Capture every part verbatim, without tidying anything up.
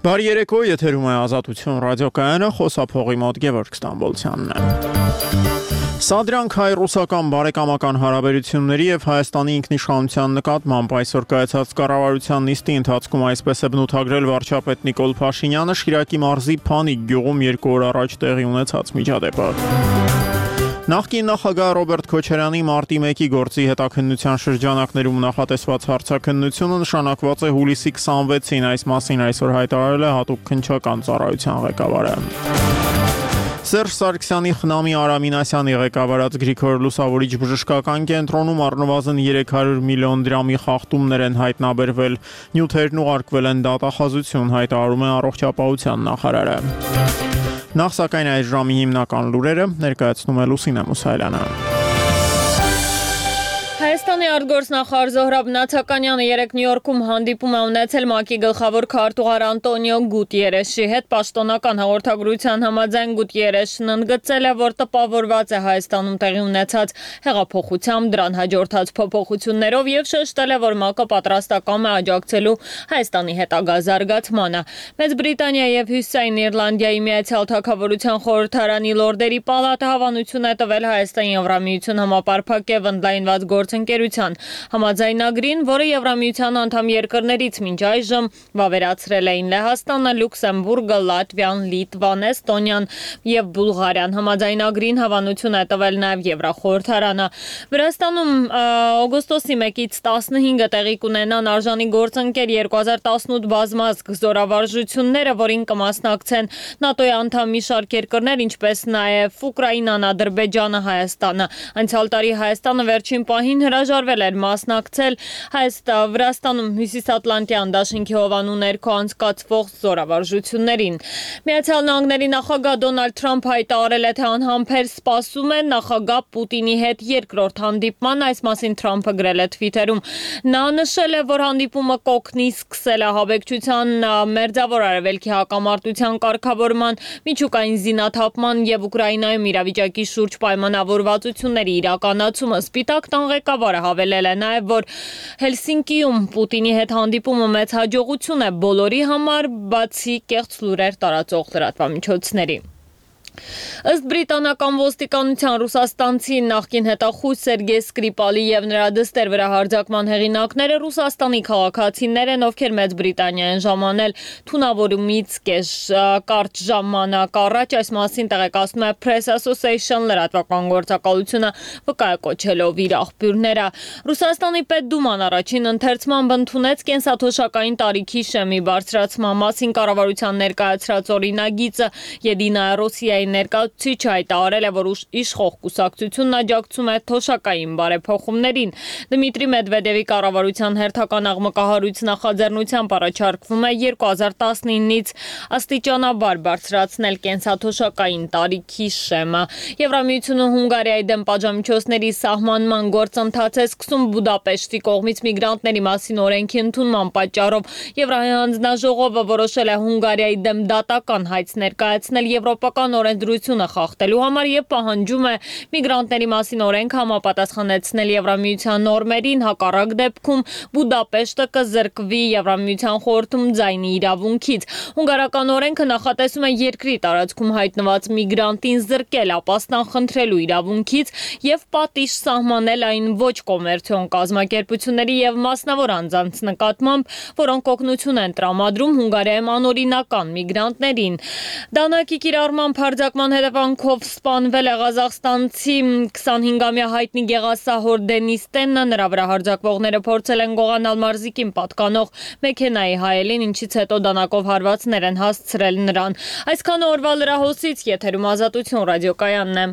Բարի երեկո, եթերում է Ազատություն ռադիոկայանը, խոսափողի մոտ Գևորգ Ստամբոլցյանն է։ Սա դրանք հայ-ռուսական բարեկամական հարաբերությունների եւ Հայաստանի ինքնիշխանության նկատմամբ այսօր կայացած կառավարության նիստի ընթացքում այսպես է բնութագրել վարչապետ Նիկոլ Փաշինյանը Շիրակի մարզի Փանիկ գյուղում երկու օր առաջ տեղի ունեցած միջադեպը։ Նախկին նախագահ Ռոբերտ Քոչարյանի մարտի մեկի գործի հետաքննության շրջանակներում նախատեսված հարցաքննությունը նշանակված է հուլիսի քսանվեցին, այս մասին այսօր հայտարարել է հատուկ քննչական ծառայության ղեկավարը։ Սերժ Սարգսյանի խնամի Արամ Մինասյանի ղեկավարած Գրիգոր Լուսավորիչ բժշկական կենտրոնում առնվազն երեք հարյուր միլիոն դրամի խախտումներ են հայտնաբերվել, նյութերն ուղարկվել են դատախազություն, հայտարարում է առողջապահության նախարարը։ Նախ սակայն այս ժամի հիմնական լուրերը ներկայացնում է Լուսինե Մուսայելյանը։ Հայաստանի արտգործնախարար Զոհրաբ Նաթականյանը երեկ Նյու Յորքում հանդիպում է ունեցել ՄԱԿ-ի գլխավոր քարտուղար Անտոնիո Գուտիերեշի հետ։ Պաշտոնական հաղորդագրության համաձայն Գուտիերեշն ընդգծել է, որ տպավորված է Հայաստանում տեղի ունեցած հեղափոխությամբ, դրան հաջորդած փոփոխություններով եւ շեշտել է, որ ՄԱԿ-ը պատրաստական է աջակցելու Հայաստանի հետագա զարգացմանը։ Մեծ Բրիտանիա եւ Հյուսիսային Իռլանդիայի Միացյալ Թագավորության խորհրդարանի լորդերի պալատը հավանություն է տվել Հայաստան-Եվրամիություն համապարփակ եւ ընդլայնված գործընկերության համաձայնագրին, որը Եվրամիության անդամ երկրներից մինչ այժմ վավերացրել էին Լեհաստանը, Լյուքսեմբուրգը, Լատվիան, Լիտվան, Էստոնիան եւ Բուլղարիան։ Համաձայնագրին հավանություն է տվել նաեւ Եվրախորհրդարանը։ Վրաստանում օգոստոսի մեկից տասնհինգը տեղի կունենան արժանի գործընկեր երկու հազար տասնութ բազմազգ զորավարժությունները, որին կմասնակցեն ՆԱՏՕ-ի անդամ մի շարք երկրներ, ինչպես նաեւ Ուկրաինան, Ադրբեջանը, Հայաստանը։ Անցյալ տարի Հայաստանը վերջին պահին հրաժարվել էր մասնակցել Հայաստան Վրաստանում Հյուսիսատլանտյան դաշինքի հովանու ներքո անցկացվող զորավարժություններին։ Միացյալ Նահանգների նախագահ Դոնալդ Թրամփը հայտարարել է, թե անհամբեր սպասում է նախագահ Պուտինի հետ երկրորդ հանդիպման, այս մասին Թրամփը գրել է Twitter-ում։ Նա նշել է, որ հանդիպումը կօգնի սկսել ահաբեկչության, մերձավոր արևելքի հակամարտության կարգավորման, միջուկային զինաթափման եւ Ուկրաինայում իրավիճակի շուրջ պայմանավորվածությունների իրականացումը։ Սպիտակ տան ղեկավարը հավելել է նաև, որ Հելսինկիում Պուտինի հետ հանդիպումը մեծ հաջողություն է բոլորի համար, բացի կեղծ լուրեր տարածող լրատվամիջոցների։ Ըստ բրիտանական ոստիկանության ռուսաստանցի նախկին հետախույզ Սերգեյ Սկրիպալի եւ նրա դստեր վրա հարձակման հեղինակները Ռուսաստանի քաղաքացիներ են, ովքեր Մեծ Բրիտանիա են ժամանել թունավորումից կես կարճ ժամանակ առաջ, այս մասին տեղեկացնում է Press Association լրատվական գործակալությունը վկայակոչելով իր աղբյուրները։ Ռուսաստանի Պետդուման առաջին ընթերցմամբ ընդունեց կենսաթոշակային տարիքի շեմի բարձրացման մասին կառավարության ներկայացրած օրինագիծը։ Եդինա Ռոսիայի ներկայացուցիչը հայտարարել է, որ իշխող կուսակցությունն աջակցում է թոշակային բարեփոխումներին։ Դմիտրի Մեդվեդևի կառավարության հերթական աղմկահարույց նախաձեռնությամբ առաջարկվում է երկու հազար տասնինից աստիճանաբար բարձրացնել կենսաթոշակային տարիքի շեմը։ Եվրամիությունը Հունգարիայի դեմ պատժամիջոցների սահմանման գործընթաց է սկսում Բուդապեշտի կողմից միգրանտների մասին օրենքի ընդունման պատճառով։ Եվրահայ հանձնաժողովը որոշել է Հունգարիայի դեմ դատական հայց ներկայացնել եվրոպական օրենսդրությունը խախտելու համար եւ պահանջում է միգրանտների մասին օրենք համապատասխանեցնել Եվրամիության նորմերին, հակառակ դեպքում Բուդապեշտը կզրկվի Եվրամիության խորհրդում ձայնի իրավունքից։ Հունգարական օրենքը նախատեսում է երկրի տարածքում հայտնված միգրանտին զրկել ապաստան խնդրելու իրավունքից եւ պատիժ սահմանել այն ոչ կոմերցիոն կազմակերպությունների եւ մասնավոր անձանց նկատմամբ, որոնք օգնություն են տրամադրում Հունգարիայում անօրինական միգրանտներին։ Դանակի կիրառման հարձակման հետևանքով սպանվել է ղազախստանցի քսանհինգամյա հայտնի գեղասահոր Դենիս Տենը, նրա վրա հարձակվողները փորձել են գողանալ մարզիկին պատկանող մեքենայի հայելին, ինչից հետո դանակով հարվածներ են հասցրել նրան։ Այսքան օրվա լրահոսից եթերում Ազատություն ռադիոկայանն է։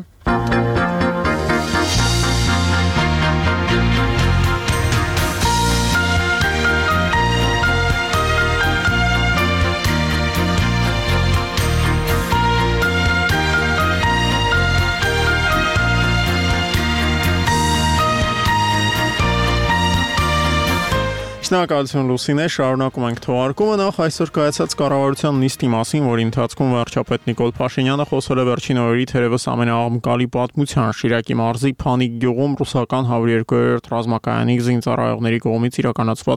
Շնորհակալություն Լուսինե, շարունակում ենք թողարկումը։ Նախ այսօր կայացած կառավարության նիստի մասին, որի ընթացքում վարչապետ Նիկոլ Փաշինյանը խոսել է վերջին օրերի թերևս ամենաաղմկալի պատմության Շիրակի մարզի Փանիկ գյուղում ռուսական հարյուր երկու ռազմակայանի զինծառայողների կողմից իրականացված